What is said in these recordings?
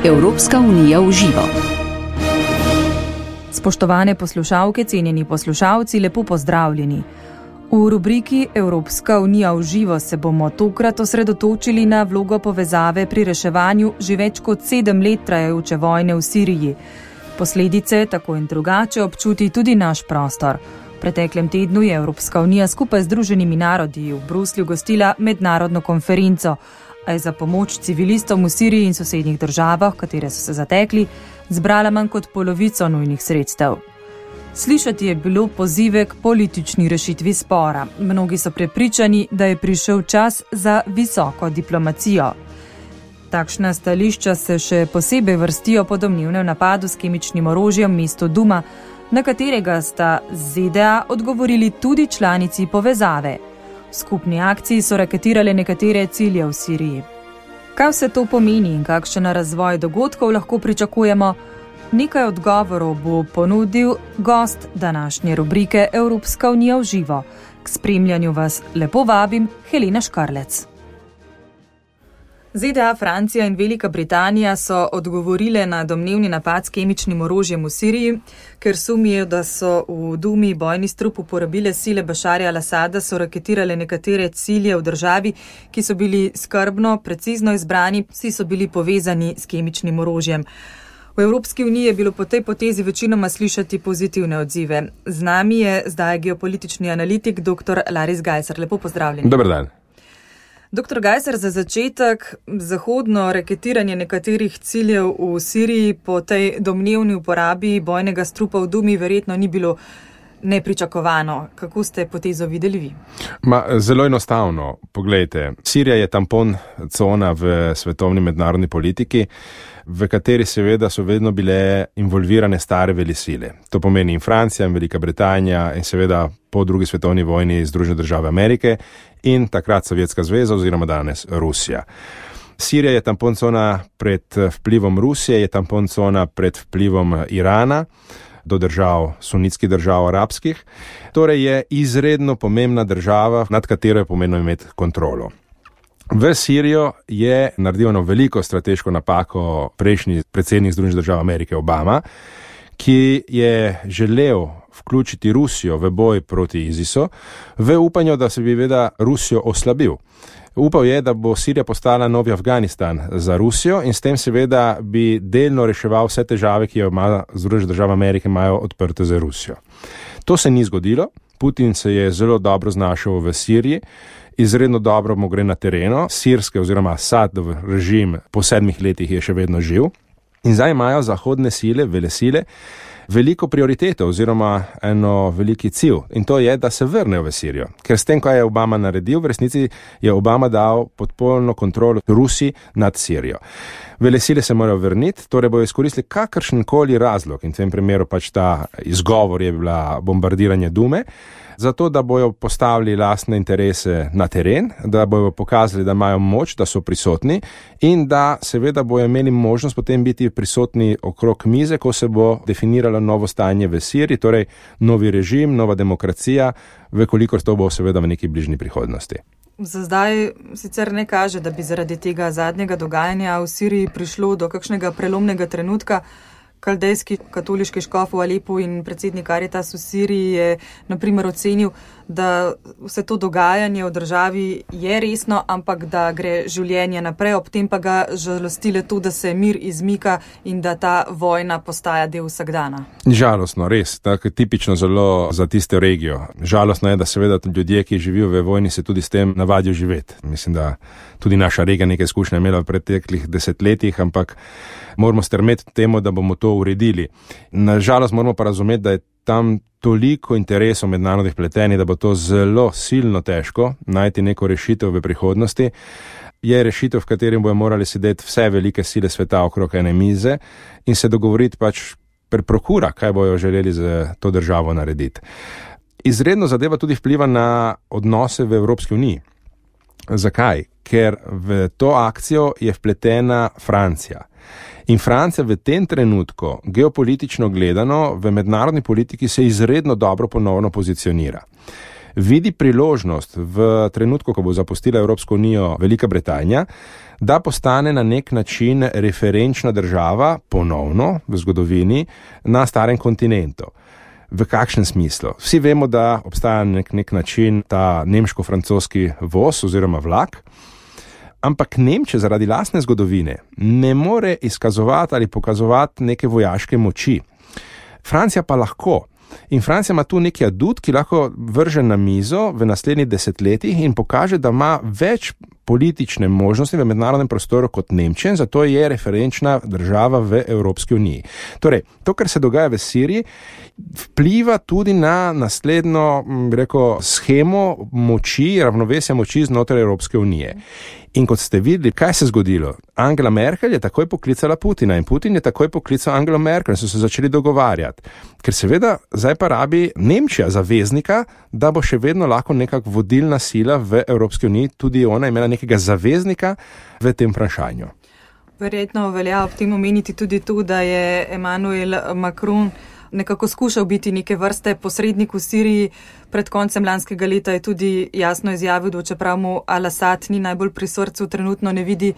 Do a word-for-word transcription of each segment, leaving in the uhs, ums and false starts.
Evropska unija v živo. Spoštovane poslušalke, cenjeni poslušalci, lepo pozdravljeni. V rubriki Evropska unija v živo se bomo tokrat osredotočili na vlogo povezave pri reševanju že več kot sedem let trajajoče vojne v Siriji. Posledice tako in drugače občuti tudi naš prostor. V preteklem tednu je Evropska unija skupaj z Združenimi narodi v Bruslju gostila mednarodno konferenco, a je za pomoč civilistom v Siriji in sosednjih državah, katere so se zatekli, zbrala manj kot polovico nujnih sredstev. Slišati je bilo pozive k politični rešitvi spora. Mnogi so prepričani, da je prišel čas za visoko diplomacijo. Takšna stališča se še posebej vrstijo po domnevnem napadu s kemičnim orožjem v mestu Duma, na katerega sta Z D A odgovorili tudi članici povezave. V skupni akciji so raketirale nekatere cilje v Siriji. Kaj vse to pomeni in kakšen razvoj dogodkov lahko pričakujemo? Nekaj odgovorov bo ponudil gost današnje rubrike Evropska unija v živo. K spremljanju vas lepo vabim, Helena Škarlec. Z D A, Francija in Velika Britanija so odgovorile na domnevni napad s kemičnim orožjem v Siriji, ker sumijo, da so v Dumi bojni strup uporabile sile Bašarja al-Asada, so raketirale nekatere cilje v državi, ki so bili skrbno, precizno izbrani, vsi so bili povezani s kemičnim orožjem. V Evropski uniji je bilo po tej potezi večinoma slišati pozitivne odzive. Z nami je zdaj geopolitični analitik dr. Laris Gajser. Lepo pozdravljeni. Dober dan. doktor Gajser, za začetek, zahodno raketiranje nekaterih ciljev v Siriji po tej domnevni uporabi bojnega strupa v Dumi verjetno ni bilo nepričakovano. Kako ste potezo videli vi? Ma, zelo enostavno. Poglejte, Sirija je tampon cona v svetovni mednarodni politiki, v kateri seveda so vedno bile involvirane stare velesile. To pomeni in Francija, in Velika Britanija, in seveda po drugi svetovni vojni Združene države Amerike in takrat Sovjetska zveza oziroma danes Rusija. Sirija je tampon cona pred vplivom Rusije, je tampon cona pred vplivom Irana do držav, sunitskih držav, arabskih. Torej je izredno pomembna država, nad katero je pomembno imeti kontrolo. V Sirijo je naredil eno veliko strateško napako prejšnji predsednik Združenih držav Amerike Obama, ki je želel vključiti Rusijo v boj proti ISISu, v upanju, da se bi veda Rusijo oslabil. Upal je, da bo Sirija postala novi Afganistan za Rusijo in s tem seveda bi delno reševal vse težave, ki jo ima Združene države Amerike imajo odprte za Rusijo. To se ni zgodilo. Putin se je zelo dobro znašel v Siriji, izredno dobro mu gre na terenu, sirske oziroma Asadov režim po sedmih letih je še vedno živ in zdaj imajo zahodne sile, velesile, veliko prioriteto oziroma eno veliki cilj in to je, da se vrnejo v Sirijo. Ker s tem, kaj je Obama naredil, v resnici je Obama dal podpolno kontrolo Rusiji nad Sirijo. Velesile se morajo vrniti, torej bojo izkoristili kakršenkoli razlog in v tem primeru pač ta izgovor je bila bombardiranje Dume, zato da bojo postavili lastne interese na teren, da bojo pokazali, da imajo moč, da so prisotni in da seveda bojo imeli možnost potem biti prisotni okrog mize, ko se bo definiralo novo stanje v Siriji, torej novi režim, nova demokracija, vekolikor to bo seveda v neki bližnji prihodnosti. Za zdaj sicer ne kaže, da bi zaradi tega zadnjega dogajanja v Siriji prišlo do kakšnega prelomnega trenutka. Kaldejski katoliški škof v Alepu in predsednik Karitas v Siriji je na primer ocenil, da vse to dogajanje v državi je resno, ampak da gre življenje naprej, ob tem pa ga žalostile to, da se mir izmika in da ta vojna postaja del vsakdana. Žalostno, res, tako tipično zelo za tisto regijo. Žalostno je, da seveda ljudje, ki živijo v vojni, se tudi s tem navadijo živeti. Mislim, da tudi naša regija nekaj izkušnja imela v preteklih desetletjih, ampak moramo strmeti temu, da bomo to uredili. Nažalost moramo pa razumeti, da je tam toliko interesov mednarodnih pletenih, da bo to zelo silno težko najti neko rešitev v prihodnosti. Je rešitev, v katerem bojo morali sedeti vse velike sile sveta okrog ene mize in se dogovoriti pač per prokura, kaj bojo želeli z to državo narediti. Izredno zadeva tudi vpliva na odnose v Evropski uniji. Zakaj? Ker v to akcijo je vpletena Francija. In Francija v tem trenutku, geopolitično gledano, v mednarodni politiki se izredno dobro ponovno pozicionira. vidi priložnost v trenutku, ko bo zapustila Evropsko unijo Velika Britanija, da postane na nek način referenčna država ponovno v zgodovini na starem kontinentu. V kakšnem smislu? Vsi vemo, da obstaja nek, nek način ta nemško-francoski voz oziroma vlak, ampak Nemčija zaradi lastne zgodovine ne more izkazovati ali pokazovati neke vojaške moči. Francija pa lahko. In Francija ima tu neki adut, ki lahko vrže na mizo v naslednjih desetletjih in pokaže, da ima več politične možnosti v mednarodnem prostoru kot Nemčija, zato je referenčna država v Evropski uniji. Torej, to, kar se dogaja v Siriji, vpliva tudi na naslednjo, bi rekel, shemo moči, ravnovesja moči znotraj Evropske unije. In kot ste videli, kaj se je zgodilo? Angela Merkel je takoj poklicala Putina in Putin je takoj poklical Angelo Merkel in so se začeli dogovarjati. Ker seveda zdaj pa rabi Nemčija zaveznika, da bo še vedno lahko nekak vodilna sila v Evropski uniji, tudi ona imela nekega zaveznika v tem vprašanju. Verjetno velja ob tem omeniti tudi to, da je Emmanuel Macron nekako skušal biti neke vrste posrednik v Siriji. Pred koncem lanskega leta je tudi jasno izjavil, da čeprav mu Al-Assad ni najbolj pri srcu, trenutno ne vidi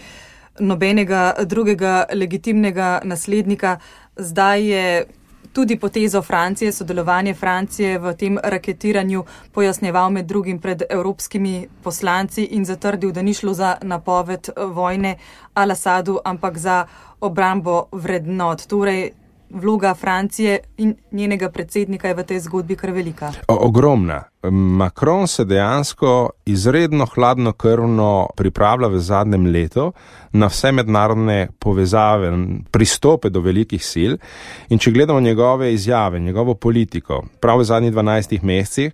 nobenega drugega legitimnega naslednika. Zdaj je tudi potezo Francije, sodelovanje Francije v tem raketiranju pojasnjeval med drugim pred evropskimi poslanci in zatrdil, da ni šlo za napoved vojne Al-Assadu, ampak za obrambo vrednot. Torej, vloga Francije in njenega predsednika je v tej zgodbi kar velika. Ogromna. Macron se dejansko izredno hladnokrvno pripravlja v zadnjem letu na vse mednarodne povezave, pristope do velikih sil in če gledamo njegove izjave, njegovo politiko, prav v zadnjih dvanajstih mesecih,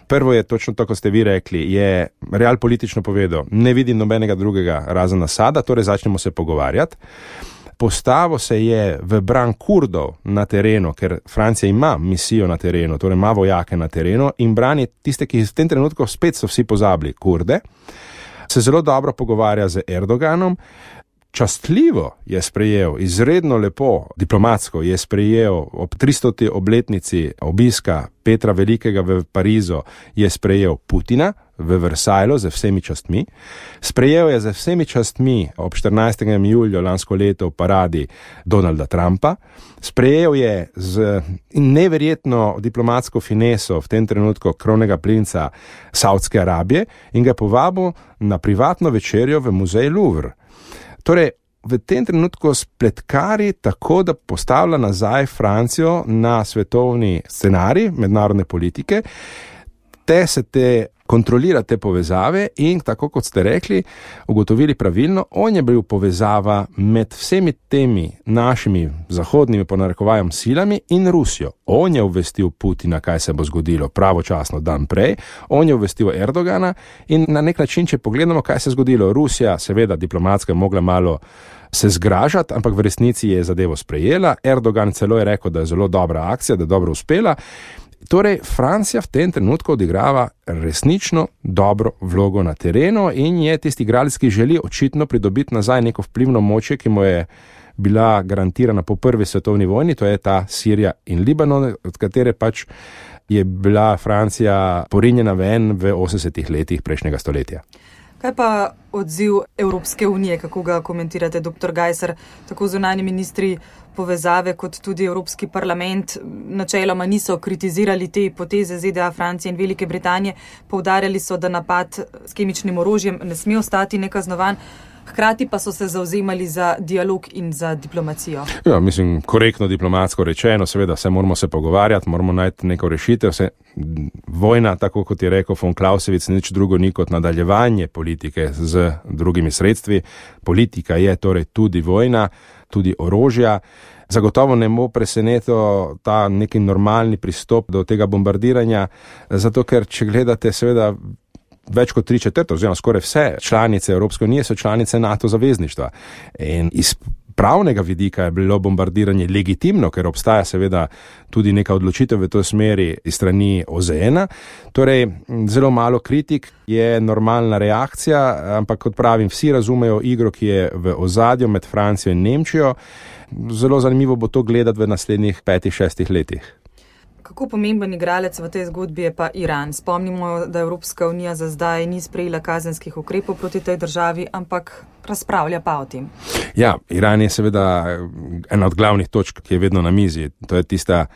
prvo je točno to, kot ste vi rekli, je real politično povedal, ne vidim nobenega drugega razen Asada, torej začnemo se pogovarjati. Postavo se je v bran Kurdov na terenu, ker Francija ima misijo na terenu, torej ima vojake na terenu in brani tiste, ki v tem trenutku spet so vsi pozabili, Kurde, se zelo dobro pogovarja z Erdoganom. Častljivo je sprejel, izredno lepo, diplomatsko je sprejel ob tristoti obletnici obiska Petra Velikega v Parizu, je sprejel Putina v Versajlu z vsemi častmi. Sprejel je z vsemi častmi ob štirinajstega julija lansko leto v paradi Donalda Trumpa. Sprejel je z neverjetno diplomatsko fineso v tem trenutku kronega princa Saudske Arabije in ga povabil na privatno večerjo v muzej Louvre. Torej, v tem trenutku spletkari tako, da postavlja nazaj Francijo na svetovni scenarij mednarodne politike, te se te kontrolira te povezave in tako kot ste rekli, ugotovili pravilno, on je bil povezava med vsemi temi našimi zahodnimi ponarekovajem silami in Rusijo. On je obvestil Putina, kaj se bo zgodilo pravočasno dan prej, on je obvestil Erdogana in na nek način, če pogledamo, kaj se je zgodilo, Rusija seveda diplomatsko je mogla malo se zgražati, ampak v resnici je zadevo sprejela, Erdogan celo je rekel, da je zelo dobra akcija, da je dobro uspela. Torej, Francija v tem trenutku odigrava resnično dobro vlogo na terenu in je tisti igralec, ki želi očitno pridobiti nazaj neko vplivno moč, ki mu je bila garantirana po prvi svetovni vojni, to je ta Sirija in Libanon, od katere pač je bila Francija porinjena ven v osemdesetih letih prejšnjega stoletja. Kaj pa odziv Evropske unije, kako ga komentirate, doktor Gajser, tako zunanji ministri povezave kot tudi Evropski parlament načeloma niso kritizirali te poteze Z D A, Francije in Velike Britanije, poudarjali so, da napad s kemičnim orožjem ne sme ostati nekaznovan, hkrati pa so se zavzemali za dialog in za diplomacijo. Ja, mislim, korektno diplomatsko rečeno, seveda vse moramo se pogovarjati, moramo najti neko rešitev, vse vojna, tako kot je rekel von Clausewitz, nič drugo ni kot nadaljevanje politike z drugimi sredstvi. Politika je torej tudi vojna, tudi orožja. Zagotovo ne bo presenetil ta neki normalni pristop do tega bombardiranja, zato ker, če gledate, seveda, več kot tri četrt, oziroma skoraj vse članice Evropske unije so članice NATO zavezništva. In iz pravnega vidika je bilo bombardiranje legitimno, ker obstaja seveda tudi neka odločitev v to smeri iz strani O Z N-a. Torej, zelo malo kritik je normalna reakcija, ampak kot pravim, vsi razumejo igro, ki je v ozadju med Francijo in Nemčijo. Zelo zanimivo bo to gledati v naslednjih petih, šestih letih. Kako pomemben igralec v tej zgodbi je pa Iran? Spomnimo, da Evropska unija za zdaj ni sprejela kazenskih ukrepov proti tej državi, ampak razpravlja pa o tem. Ja, Iran je seveda ena od glavnih točk, ki je vedno na mizi. To je tista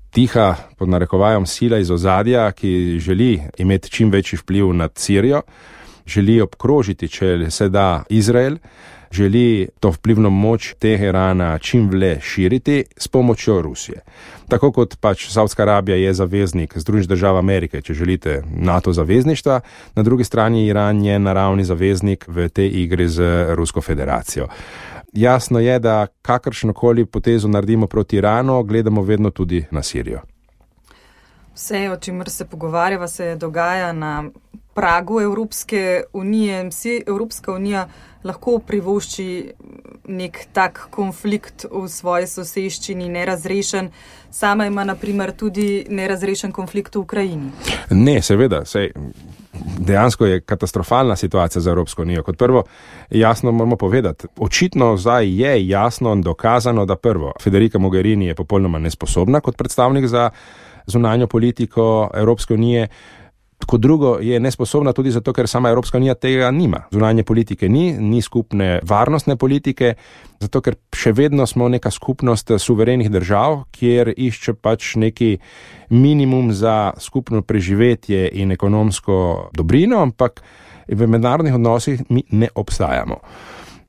tiha, pod narekovajem, sila iz ozadja, ki želi imeti čim večji vpliv nad Sirijo, želi obkrožiti, če se da, Izrael, želi to vplivno moč Teherana čim vle širiti s pomočjo Rusije. Tako kot pač Saudska Arabija je zaveznik Združenih držav Amerike, če želite, NATO zavezništva, na drugi strani Iran je naravni zaveznik v tej igri z Rusko federacijo. Jasno je, da kakršnokoli potezo naredimo proti Iranu, gledamo vedno tudi na Sirijo. Vse, o čemer se pogovarjava, se dogaja na pragu Evropske unije. Si Evropska unija lahko privošči nek tak konflikt v svoji soseščini nerazrešen. Sama ima na primer tudi nerazrešen konflikt v Ukrajini. Ne, seveda, sej dejansko je katastrofalna situacija za Evropsko unijo. Kot prvo, jasno moramo povedati, očitno zdaj je jasno in dokazano, da prvo, Federica Mogherini je popolnoma nesposobna kot predstavnik za zunanjo politiko Evropske unije. Kot drugo, je nesposobna tudi zato, ker sama Evropska unija tega nima. Zunanje politike ni, ni skupne varnostne politike, zato ker še vedno smo neka skupnost suverenih držav, kjer išče pač neki minimum za skupno preživetje in ekonomsko dobrino, ampak v mednarodnih odnosih mi ne obstajamo.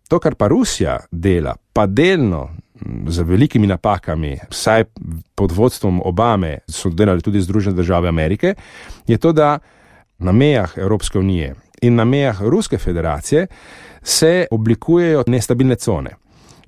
To, kar pa Rusija dela, pa delno z velikimi napakami, vsaj pod vodstvom Obame, so delali tudi Združene države Amerike, je to, da na mejah Evropske unije in na mejah Ruske federacije se oblikujejo nestabilne cone.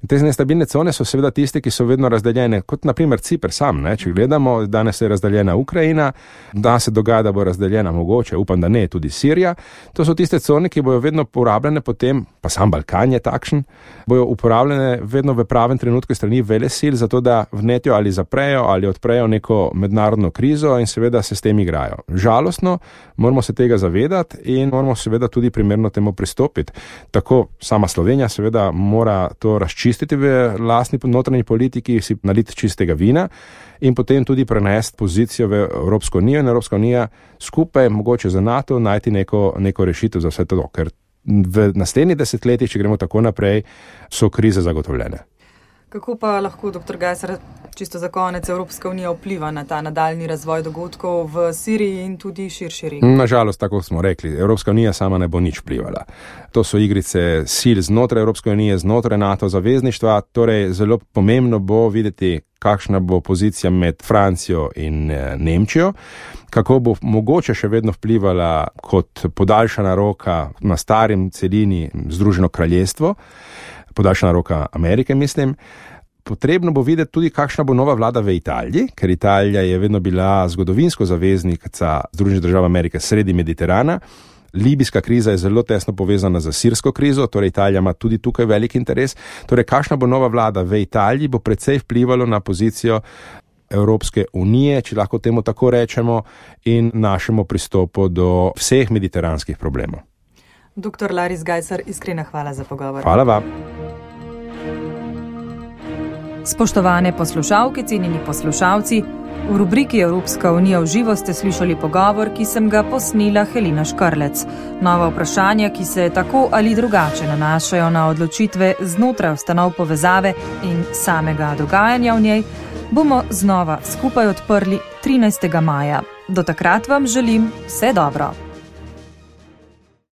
In te nestabilne cone so seveda tiste, ki so vedno razdeljene, kot na primer Ciper sam, ne? Če gledamo, danes je razdeljena Ukrajina, da se dogaja, da bo razdeljena mogoče, upam, da ne, tudi Sirija. To so tiste cone, ki bojo vedno uporabljene potem, pa sam Balkan je takšen, bojo uporabljene vedno v pravem trenutku strani velesil, zato da vnetijo ali zaprejo ali odprejo neko mednarodno krizo in seveda se s tem igrajo. Žalostno, moramo se tega zavedati in moramo seveda tudi primerno temu pristopiti. Tako sama Slovenija seveda mora to razčistiti v lastni notranji politiki, si naliti čistega vina in potem tudi prenesti pozicijo v Evropsko unijo in Evropska unija skupaj, mogoče za NATO, najti neko, neko rešitev za vse to, ker v naslednjih desetletjih, če gremo tako naprej, so krize zagotovljene. Kako pa lahko, doktor Gajser, čisto za konec, Evropska unija vpliva na ta nadaljni razvoj dogodkov v Siriji in tudi širši regiji? Nažalost, tako smo rekli, Evropska unija sama ne bo nič vplivala. To so igrice sil znotraj Evropske unije, znotraj NATO zavezništva, torej zelo pomembno bo videti, kakšna bo pozicija med Francijo in Nemčijo, kako bo mogoče še vedno vplivala kot podaljšana roka na starim celini Združeno kraljestvo, podaljšana roka Amerike, mislim. Potrebno bo videti tudi, kakšna bo nova vlada v Italiji, ker Italija je vedno bila zgodovinsko zaveznica Združenih držav Amerike sredi Mediterana. Libijska kriza je zelo tesno povezana z sirsko krizo, torej Italija ima tudi tukaj velik interes. Torej, kakšna bo nova vlada v Italiji, bo precej vplivalo na pozicijo Evropske unije, če lahko temu tako rečemo, in našemu pristopu do vseh mediteranskih problemov. Doktor Laris Gajser, iskrena hvala za pogovor. Hvala vam. Spoštovane poslušalke, cenjeni poslušalci, v rubriki Evropska unija v živo ste slišali pogovor, ki sem ga posnela Helena Škrlec. Nova vprašanja, ki se tako ali drugače nanašajo na odločitve znotraj ustanov povezave in samega dogajanja v njej, bomo znova skupaj odprli trinajstega maja. Do takrat vam želim vse dobro.